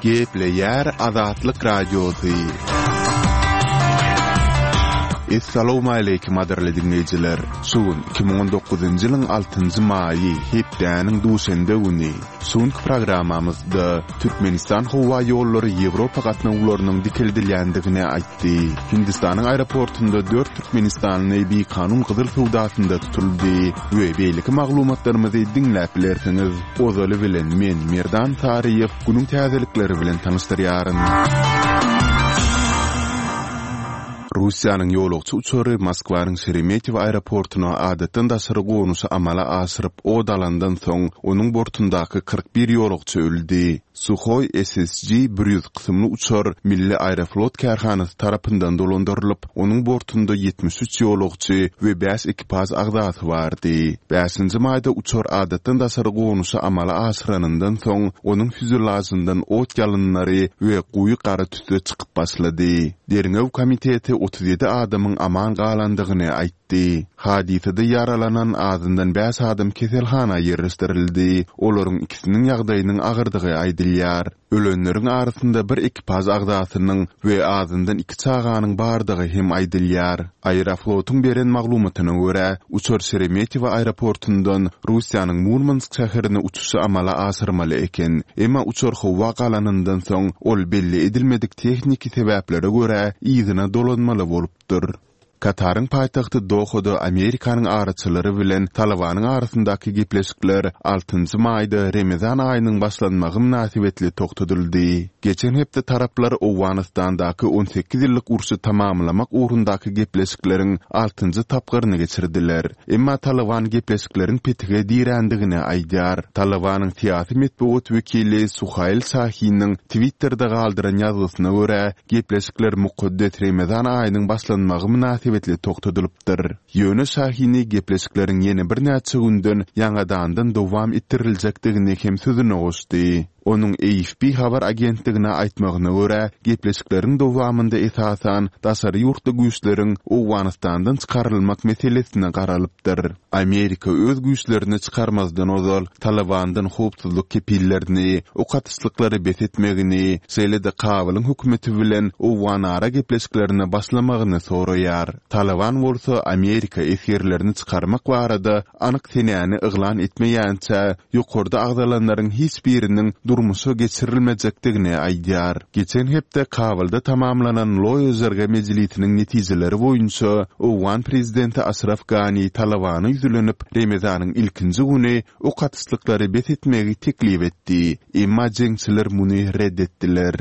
Gepleýär Azatlyk Radiosy. Essalawmaleýkim gadyrly diňleýjiler! Şu gün 2019-njy ýylyň altynjy maýy, hepdäniň duşenbe güni. Şu günki programmamyzda Türkmenistan howa ýollary Ýewropa gatnawlarynyň dikeldilýändigini aýtdy. Hindistanyň aeroportunda dört türkmenistanly bikanun gyzyl söwdasynda tutuldy we beýleki maglumatlarymyzy diňläp bilersiňiz. Ozaly bilen men, Merdan Saryýew, günüň täzelikleri bilen tanyşdyrýaryn. Russiýanyň ýolagçy uçary Moskwanyň Şeremetýewo aeroportuna adatdan daşary gonuşy amala aşyryp, ot alandan soň, onuň bortundaky 41 ýolagçy öldi. Suhoý SSG 100 kysymly uçar Milli Aeroflot kärhanasy tarapyndan dolandyrylyp, onuň bortunda 73 ýolagçy we bäş ekipaž agzasy bardy. Bäşinji maýda uçar adatdan daşary gonuşy amala aşyranyndan soň, onuň fýuzelažyndan ot ýalynlary we goýy gara tüsse çykyp başlady. Derňew komiteti 37 adamyň aman galandygyny aýtdy. Hadysada ýaralanan azyndan bäş adam keselhana ýerleşdirildi, olaryň ikisiniň ýagdaýynyň agyrdygy aýdylýar. Ölenleriň arasynda bir ekipaž agzasynyň we azyndan iki çaganyň bardygy hem aýdylýar. Aeroflotyň beren maglumatyna görä, uçar Şeremetýewo aeroportundan Russiýanyň Murmansk şäherine uçuşy amala aşyrmaly eken. Emma uçar howa galanyndan soň, ol belli edilmedik tehniki sebäplere görä yzyna dolanmaly bolupdyr. Kataryň paýtagty Dohada Amerikanyň araçylary bilen Talybanyň arasyndaky gepleşikler altynjy maýda Remezan aýynyň başlanmagy mynasybetli togtadyldy. Geçen hepde taraplar Owganystandaky 18 ýyllyk urşy tamamlamak ugrundaky gepleşikleriň altynjy tapgyryny geçirdiler. Emma Talyban gepleşikleriň petige dirändigini aýdýar. Talybanyň syýasy metbugat wekili Suhail Şahiniň Twitterde galdyran ýazgysyna görä, gepleşikler mukaddes Remezan aýynyň başlanmagy mynasybetli togtadylypdyr. Ýöne Şahini gepleşikleriň ýene birnäçe günden ýaňadandan dowam etdiriljekdigini hem sözüne goşdy. Onuň AFP habar agentligine aýtmagyna görä, gepleşikleriň dowamynda esasan daşary ýurtly güýçleriň Owganystandan çykarylmak meselesine garalypdyr. Amerika öz güýçlerini çykarmazdan ozal Talybandan howpsuzlyk kepillerini, ok atyşlyklary bes etmegini, şeýle-de Kabulyň hökümeti bilen owganara gepleşiklerine başlamagyny soraýar. Talyban bolsa Amerika esgerlerini çykarmak barada anyk senäni yglan etmeýänçä, ýokarda agzalanlaryň hiç biriniň durmuşa geçirilmejekdigini aýdýar. Geçen hepde Kabulda tamamlanan Loýa Jirga mejlisiniň netijeleri boýunça owgan prezidenti Aşraf Gani Talybana ýüzlenip, Remezanyň ilkinji güni ok atyşlyklary bes etmegi teklip etdi. Emma jeňçiler muny ret etdiler.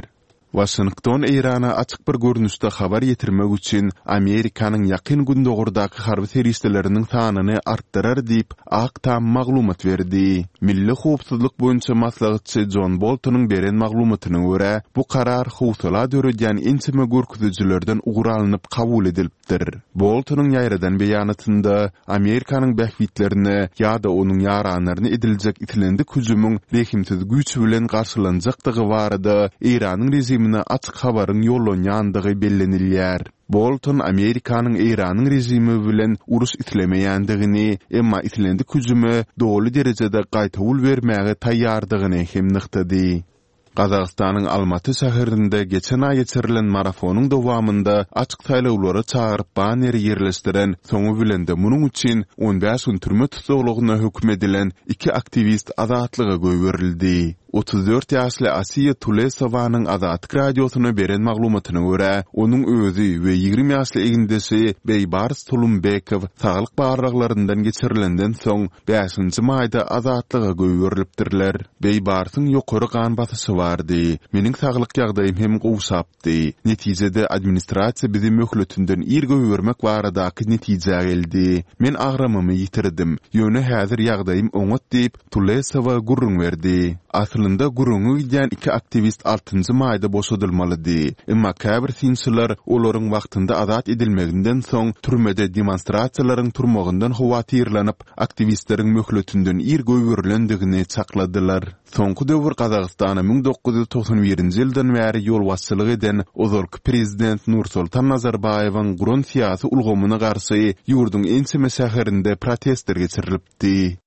Waşington Eýrana açyk bir görnüşde habar ýetirmek üçin Amerikanyň Ýakyn Gündogardaky harby serişdeleriniň sanyny artdyrar diýip, Ak Tam maglumat berdi. Milli howpsuzlyk boýunça maslahatçy Jon Boltonyň beren maglumatyna görä, bu karar howsala döredýän ençeme görkezijilerden ugur alnyp kabul edilipdir. Boltonyň ýaýradan beýanatynda Amerikanyň bähbitlerine ýa-da onuň ýaranlaryna ediljek islendik hüjümiň rehimsiz güýç bilen garşylanjakdygy barada Eýranyň režimine açyk habaryň ýollanýandygy bellenilýär. Bolton Amerikanyň Eýranyň režimi bilen uruş islemeýändigini, emma islendik hüjüme doly derejede gaýtawul bermäge taýýardygyny hem nygtady. Gazagystanyň Almaty şäherinde geçen aý geçirilen marafonyň dowamynda açyk saýlawlara çagyryp banneri ýerleşdiren, soňy bilen-de munuň üçin 15 gün türme tussaglygyna höküm edilen iki aktiwist azatlyga goýberildi. 34 ýaşly Asiýa Tulesowanyň Azatlyk Radiosyna beren maglumatyna görä, onuň özi we 20 ýaşly egindeşi Beýbars Tulumbekow saglyk barlaglaryndan geçirilenden soň, Bäşinji maýda azatlyga goýberilipdirler. Beýbarsyň ýokary gan basyşy bardy. Meniň saglyk ýagdaýym hem gowşapdy. Netijede administrasiýa bizi möhletinden ir goýbermek baradaky netijä geldi. Men agramymy ýitirdim. Ýöne häzir ýagdaýym oňat diýip, Tulesowa gürrüň berdi. Aslynda gürrüňi gidýän iki aktiwist altynjy maýda boşadylmalydy. Emma käbir synçylar olaryň wagtynda azat edilmeginden soň türmede demonstrasiýalaryň turmagyndan howatyrlanyp, aktiwistleriň möhletinden ir goýberilendigini çakladylar. Soňky döwür Gazagystana 1991-nji ýyldan bäri ýolbaşçylyk eden ozalky prezident Nursoltan Nazarbaýewiň guran syýasy ulgamyna garşy ýurduň ençeme şäherinde protestler geçirilipdi.